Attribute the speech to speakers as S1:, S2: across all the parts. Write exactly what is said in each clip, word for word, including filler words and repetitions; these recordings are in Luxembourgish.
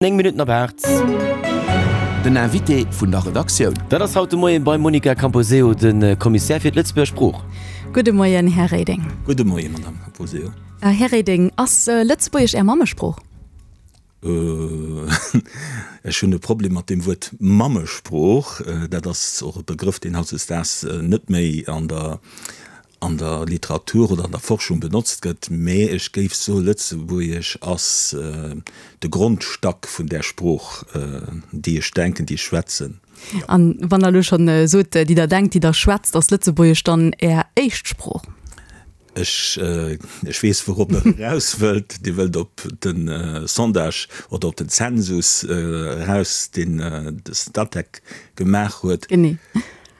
S1: Néng Minutten op aacht.
S2: Den Invité vun der Redaktioun.
S1: Dat ass haut de Moien beim Monica Camposeo, de Kommissär fir d'Lëtzebuerger Sprooch.
S3: Gudde Moien, Här Reding.
S4: Gudde Moien, Madame Camposeo.
S3: Här Reding, ass Lëtzebuergesch Är Mammesprooch?
S4: Ech hunn e Problem mat deem Wuert Mammesprooch. Dat ass och e Begrëff, deen hautdesdaags net méi an der an der Literatur oder an der Forschung benotzt gëtt, mä ech géif soe Lëtzebuergesch ass de Grondstack vun där Sprooch, déi ech denken, déi ech schwätzen.
S3: An wann Der elo schonn sot, déi Der denkt, déi Der schwätzt, ass Lëtzebuergesch dann Är éischt Sprooch?
S4: Ech, ech weess, wourop Der eraus wëllt. Dir wëllt op de Sondage oder op den Zensus eraus, deen de Statec gemaach huet.
S3: Genee.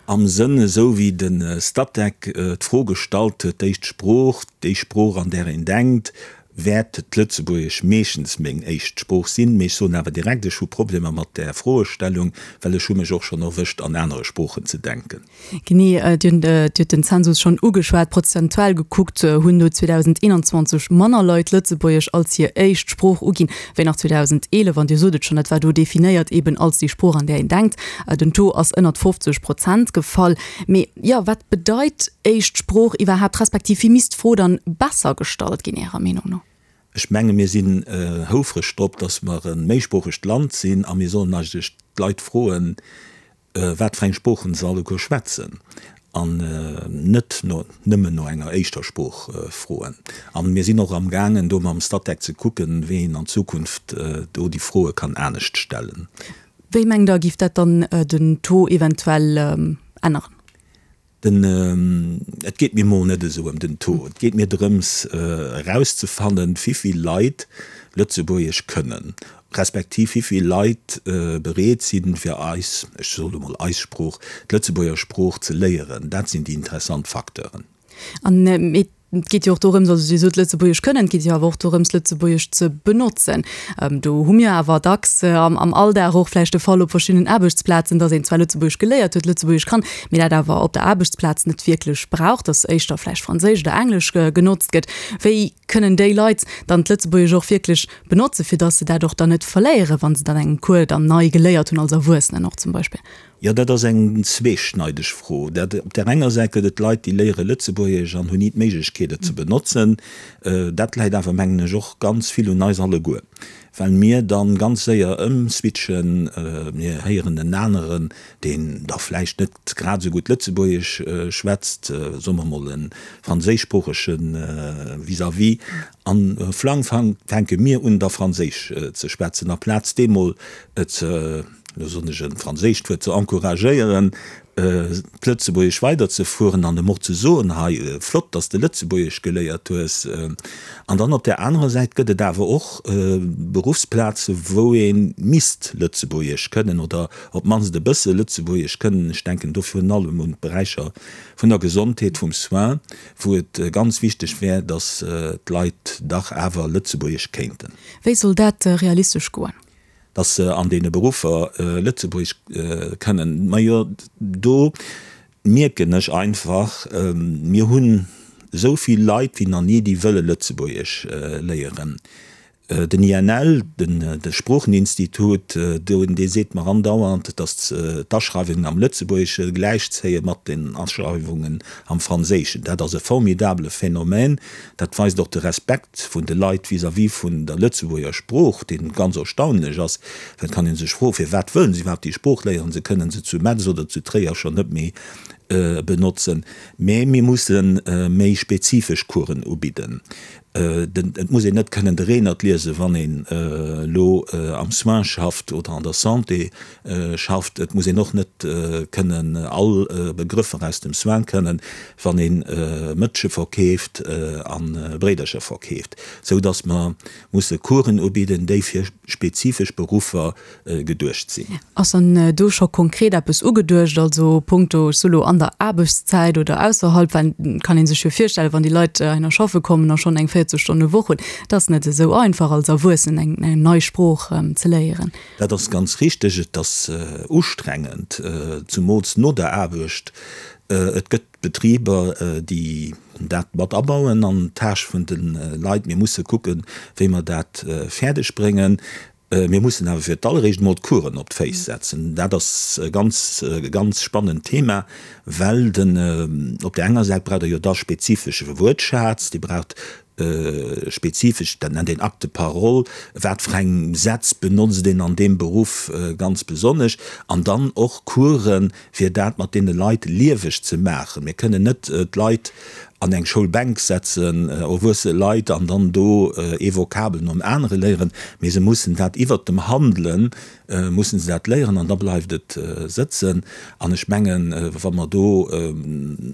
S4: Am Sënn, esou wéi de Statec d'Fro gestallt huet, d'éischt Sprooch, déi Sprooch an där een denkt, wäert d'Lëtzebuergesch meeschtens meng éischt Sprooch sinn. Mee ech soen awer direkt, ech hu Problemer mat där Froestellung, well ech hu mech och schonn erwëscht an anere Sproochen ze denken.
S3: Genee, Dir hutt den Zensus schonn ugeschwat. Prozentual gekuckt hunn no zweedausendeenanzwanzeg manner Leit Lëtzebuergesch als hir éischt Sprooch uginn, wéi nach zweedausendeelef. An Dir sot et schonn, dat war do definéiert eben als déi Sprooch, an där een denkt. Den Taux ass ënnert fofzeg Prozent gefall. Mee jo, wat bedeit éischt Sprooch iwwerhaapt, respektiv wéi misst d'Fro dann besser gestallt ginn, Ärer Meenung no?
S4: Ech menge mir sinn houfreg drop, datt mer e méisproochegt Land sinn a mir sollen eigentlech d'Leit froen, wat fir eng Sproochen se alleguer schwätzen an net no nëmmen no enger éischter Sprooch froen. A mir sinn och amgaangen, do mam Statec ze kucken, wéi een an Zukunft do déi Froe kann anescht stellen.
S3: Wéi mengt Der, géif dat dann den Taux eventuell änneren?
S4: Den, et geet mir mol net esou ëm den Taux. Et geet mir drëms erauszefannen, wivill Leit Lëtzebuergesch kënnen, respektiv wivill Leit bereet sinn, fir eis, ech soe lo mol eis Sprooch, d'Lëtzebuerger Sprooch ze léieren. Dat sinn déi interessant Facteuren.
S3: An et geet jo och dorëms, also Dir sot Lëtzebuergesch kënnen, et geet jo awer och dorëms, Lëtzebuergesch ze benotzen. Do hu mir awer dacks am Alldag och vläicht de Fall op verschiddenen Aarbechtsplazen, datt een zwar Lëtzebuergesch geléiert huet, Lëtzebuergesch kann, mee dat awer op der Aarbechtsplaz net wierklech brauch, datt éischter vläicht Franséisch oder Englesch genotzt gëtt. Wéi kënnen déi Leit dann d'Lëtzebuergesch och wierklech benotzen, fir datt se dat och dann net verléieren, wa se dann engem Cours dann nei geléiert hunn als Erwuessenen och zum Beispill?
S4: Jo, dat ass eng zweeschneideg Fro. Dat, op där enger Säit gëtt et Leit, déi léiere Lëtzebuergesch an hunn ni d'Méiglechkeet, et ze benotzen. Dat läit awer, mengen ech, och ganz vill un eis alleguer, well mir dann ganz séier ëmswitchen. Mir héieren en aneren, deen da vläicht net grad esou gutt Lëtzebuergesch schwätzt, soe mer emol e franséischsproochege vis-à-vis, an flang fänke mir un, da Franséisch ze schwätzen, aplaz dee mol ze lo soen ech e franséischt Wuert, ze encouragéieren, d'Lëtzebuergesch weiderzefueren an em och ze soen, hei, flott, dass de Lëtzebuergesch geléiert hues. An dann op där anerer Säit gëtt et awer och Beruffsplaze wou ee misst Lëtzebuergesch kënnen oder op d'mannst e bësse Lëtzebuergesch kënnen. Ech denken do virun allem un d'Beräicher vun der Gesondheet, vum Soin, wou et ganz wichteg wär, dass d'Leit dach awer Lëtzebuergesch kéinten.
S3: Wéi soll dat realistesch goen?
S4: Dass se an deene Beruffer Lëtzebuergesch kënnen. Majo, do mierken ech einfach, mir hunn esou vill Leit wéi nach ni, déi wëlle Lëtzebuergesch léieren. Den I N L, de Sproocheninstitut, dee seet mer andauernd, dass d'Aschreiwungen am Lëtzebuergesche gläichzéie mat den Aschreiwungen am Franséischen. Dat ass e formidabele Phänomen. Dat weist och de Respekt vun de Leit vis-à-vis vun der Lëtzebuerger Sprooch, dee ganz erstaunlech ass. Well et kann ee sech froen, firwat wëllen se iwwerhaapt déi Sprooch léieren? Se kënnen se zu Metz oder zu Tréier schonn net méi benotzen. Mä mir musse méi spezifesch Coursen ubidden. Et muss een net kënnen de Reenert liesen, wann een elo am Soin schafft oder an der Santé schafft. Et muss een och net kënnen all Begrëffer aus dem Soin kënnen, wann ee Mëtsche verkeeft a Bréidercher verkeeft. Sou datt mer musse Coursen ubidden, déi fir spezifesch Beruffer geduecht sinn.
S3: Ass dann do scho konkret eppes ugeduecht, also punkto, ech soe lo, an der Aarbechtszäit oder ausserhalb? Well et kann ee sech jo virstellen, wann déi Leit heihinner schaffe kommen a schonn eng véierzeg Stonne Woch hunn, et ass net esou einfach als Erwuessenen eng nei Sprooch ze léieren.
S4: Dat ass ganz richteg. Et ass ustrengend, zumools no der Aarbecht. Et gëtt Betriber, déi dat mat abauen an d'Tâche vun de Leit. Mir musse kucken, wéi mer dat fäerdeg bréngen. Mir mussen awer fir d'alleréischt emol d'Coursen op d'Féiss setzen. Dat ass e ganz, ganz spannend Thema, well den, op där enger Säit braucht Der jo da spezifesche Wuertschaz, Dir braucht spezifesch, dat nennt een Acte de parole, wat fir eng Sätz benotzt een an deem Beruff ganz besonnesch, an dann och Coursen, fir dat mat deene Leit lieweg ze maachen. Mir kënnen net d'Leit an eng Schoulbänk setzen, erwuesse Leit, an dann do ee Vokabel nom anere léieren, mee se mussen dat iwwert dem Handele mussen se dat léieren an da bleift et sëtzen. An ech mengen, wa mer do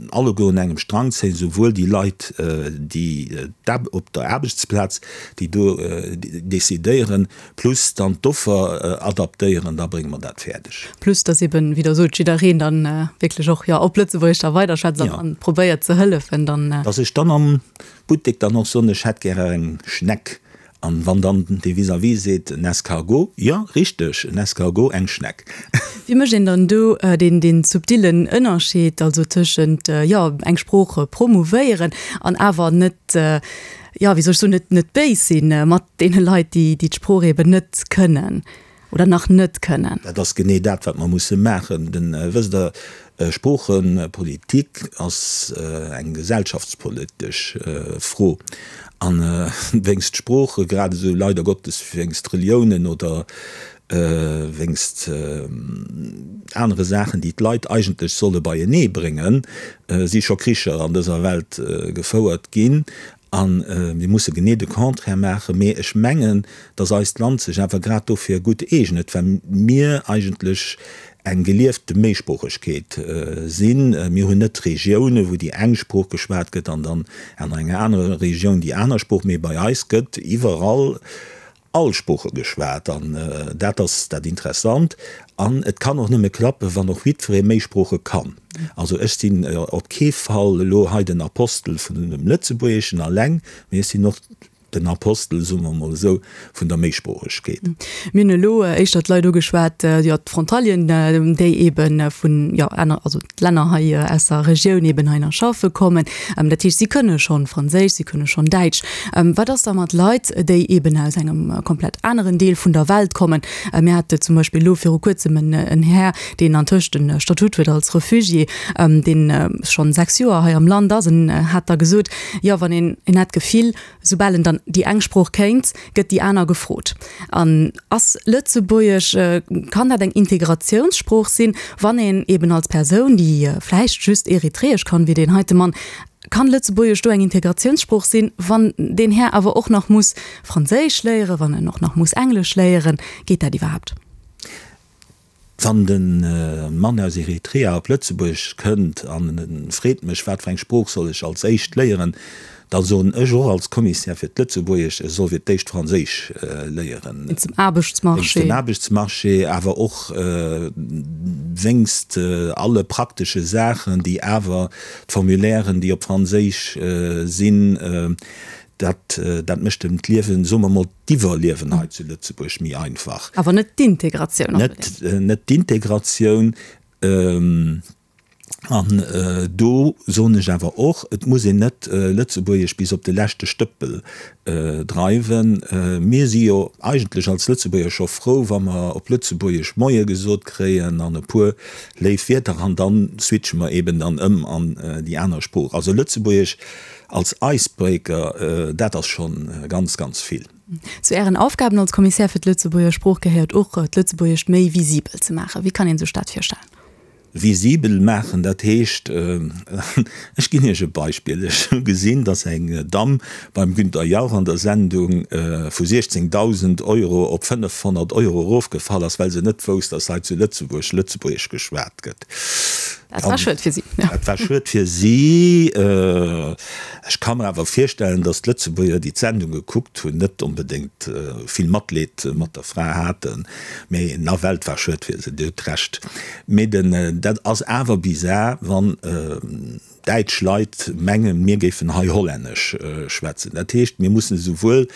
S4: alleguer un engem Strang zéien, souwuel déi Leit, déi op der Aarbechtsplaz, déi do decidéieren, plus dann d'Offer adaptéieren, da brénge mer dat fäerdeg.
S3: Plus dass eben, wéi Der sot, jiddereen dann wierklech och, jo, op Lëtzebuergesch da weiderschwätzt an probéiert ze hëllefen dann.
S4: Dass ech dann am Buttek dann och soen, ech hätt gäre eng Schneck. An wann dann dee Vis-à-vis seet, en Escargot, jo, richteg, en Escargot, eng Schneck.
S3: Wéi mécht een dann do deen, deen subtillen Ënnerscheed also tëschent, jo, eng Sprooch promouvéieren an awer net, jo, wéi soll ech soen, net, net béis sinn mat deene Leit, déi, déi d'Sprooch eben net kënnen oder nach net kënnen?
S4: Dat ass genee dat, wat mer musse maachen. Den, wësst Der, Sproochepolitik ass eng gesellschaftspolitesch Fro. A wéinst Sprooche, grad esou leider Gottes wéinst Reliounen oder wéinst anere Saachen, déi d'Leit eigentlech solle beienee bréngen, si scho Kricher an dëser Welt gefouert ginn. A mir musse genee de Contraire maachen. Mee ech mengen, datt eist Land sech awer grad dofir gutt eegnet, well mir eigentlech eng geliefte Méisproochegkeet sinn. Mir hunn net Regiounen, wou déi eng Sprooch geschwat gëtt an dann an enger anerer Regioun déi aner Sprooch, mee bei eis gëtt iwwerall all Sprooche geschwat an dat ass dat Interessant. An et kann och nëmme klappen, wann och jiddweree méi Sprooche kann. Also ech sinn op kee Fall elo hei den Apostel vun dem Lëtzebuergeschen alleng, mee ech sinn och den Apostel, soe mer emol esou, vun der Méisproochegkeet.
S3: Mir hunn elo éischter d'Leit ugeschwat, jo, d'Frontalieren, déi ebe vun, jo, aner, also d'Länner hei aus der Regioun eben heihinner schaffe kommen. Dat heescht, si kënne schonn Franséisch, si kënne schonn Däitsch. Wat ass da mat Leit, déi eben aus engem komplett aneren Deel vun der Welt kommen? Mir hate zum Beispill elo viru kuerzem en, en Här, deen antëscht e Statut huet als Refugié, deen schonn sechs Joer hei am Land ass. En hat da gesot, jo, wann een, en hat d'Gefill, soubal en dann déi eng Sprooch kéint, gëtt déi aner gefrot. An ass Lëtzebuergesch, kann dat eng Integratiounssprooch sinn, wann een eben als Persoun, déi vläicht just Eritreesch kann, wéi deen heite Mann, kann Lëtzebuergesch do eng Integratiounssprooch sinn, wann deen Här awer och nach muss Franséisch léieren, wann en och nach muss Englesch léieren? Geet dat iwwerhaapt?
S4: Wann de Mann aus Eritrea op Lëtzebuerg kënnt an e freet mech, wat fir eng Sprooch soll ech als éischt léieren, da soen ech och als Commissaire fir d'Lëtzebuergesch, e soll fir d'éischt Franséisch léieren.
S3: Wéinst dem Aarbechtsmarché.
S4: Wéinst dem Aarbechtsmarché, awer och wéinst alle praktesche Saachen, déi awer, d'Formulairen, déi op Franséisch sinn, Dat, dat mécht em d'Liewen, soe mer mol, d'Iwwerliewen hei zu Lëtzebuerg méi einfach.
S3: Awer net d'Integratioun
S4: onbedéngt. Net, net d'Integratioun. An do soen ech awer och, et muss een net Lëtzebuergesch bis op de leschte Stëppel dreiwen. Mir si jo eigentlech als Lëtzebuerger scho frou, wa mer op Lëtzebuergesch Moie gesot kréien an e puer léif Wierder an dann switche mer eben dann ëm an déi aner Sprooch. Also Lëtzebuergesch Als Icebreaker, dat ass scho ganz, ganz vill.
S3: Zu Ären Aufgaben als Kommissär fir d'Lëtzebuerger Sprooch gehéiert och, d'Lëtzebuergescht méi visibel ze maachen. Wéi kann ee sech dat virstellen?
S4: Visibel maachen, dat heescht, ech ginn Iech e Beispill, Ech hu gesinn, datt eng Damm beim Günther Jauch an der Sendung vu siechzéngdausend Euro op fënnefhonnert Euro erofgefall ass, well se net wousst, datt hei zu Lëtzebuerg Lëtzebuergesch geschwat gëtt.
S3: Dat war schued fir si.
S4: Dat war schued fir si. Ech ka mer awer virstellen, datt d'Lëtzebuerger, déi d'Sendung gekuckt hunn, net onbedéngt vill Matleed mat der Fra haten. Mee nawell, et war schued fir se, Dir hutt Recht. Mee den, dat ass awer bizar, wann däitsch Leit mengen, mir géifen hei Hollännesch schwätzen. Dat heescht, mir mussen esouwuel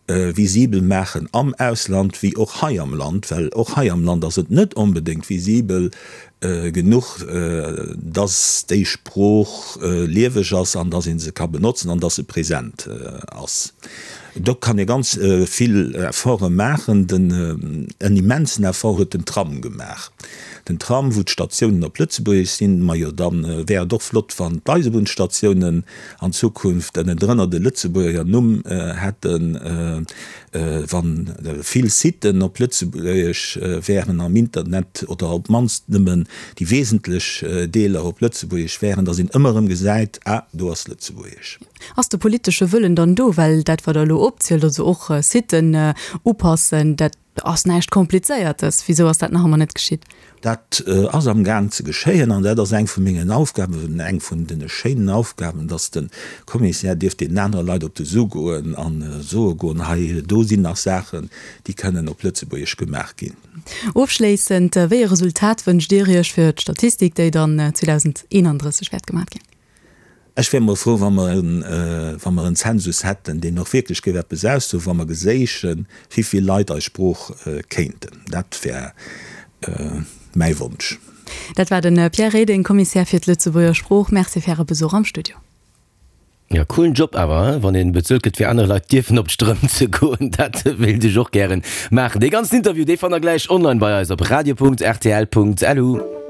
S4: visibel maachen am Ausland wéi och hei am Land, well och hei am Land ass et net onbedéngt visibel, genuch, dass déi Sprooch lieweg ass an dass ee se ka benotzen an dass se present ass. Do kann ee ganz vill Efforte maachen. Den, en immensen Effort huet den Tram gemaach. Den Tram, wou d'Statiounen op Lëtzebuergesch sinn. Majo, da wär et och flott, wann d'Eisebunnsstatiounen an Zukunft ënnendrënner de Lëtzebuerger Numm hätten, wa vill Siten op Lëtzebuergesch wären am Internet oder op d'mannst nëmmen déi wesentlech Deeler op Lëtzebuergesch wären, dass een ëmmer erëm gesäit, Ah, do ass Lëtzebuergesch.
S3: Ass de politesche Wëllen dann do? Well dat, wat Der elo opzielt, also och Siten upassen, dat ass näischt Komplizéiertes. Wisou ass dat nach ëmmer net geschitt?
S4: Dat ass am Gaang ze geschéien an dat ass eng vu mengen Aufgaben, eng vun de schéinen Aufgaben, dass de Commissaire dierf deenen anere Leit op de Su goen a soe goen, hei do sinn nach Saachen, déi kënnen op Lëtzebuergesch gemaach ginn.
S3: Ofschléissend, Wéi e Resultat wënscht Dir Iech fir d'Statistik, déi dann zweedausendeenandrësseg wäert gemaach ginn?
S4: Ech wär mol frou, wa mer en, wa mer en Zensus hätten, deen och wierklech géif eppes aussoen, wa mer geséichen, wéivill Leit eis Sprooch kéinten. Dat wär mäi Wonsch.
S3: Dat war de Pierre Reding, Kommissär fir d'Lëtzebuerger Sprooch. Merci fir Äre Besuch am Studio.
S1: Ja, coolen Job awer, hein, wann een bezuelt gëtt fir anere Leit dierfen op d'Strëmp ze goen. Dat wéilt ech och gären maachen. Dee ganzen Interview, dee fannt der gläich online bei eis op radio punkt rtl punkt lu.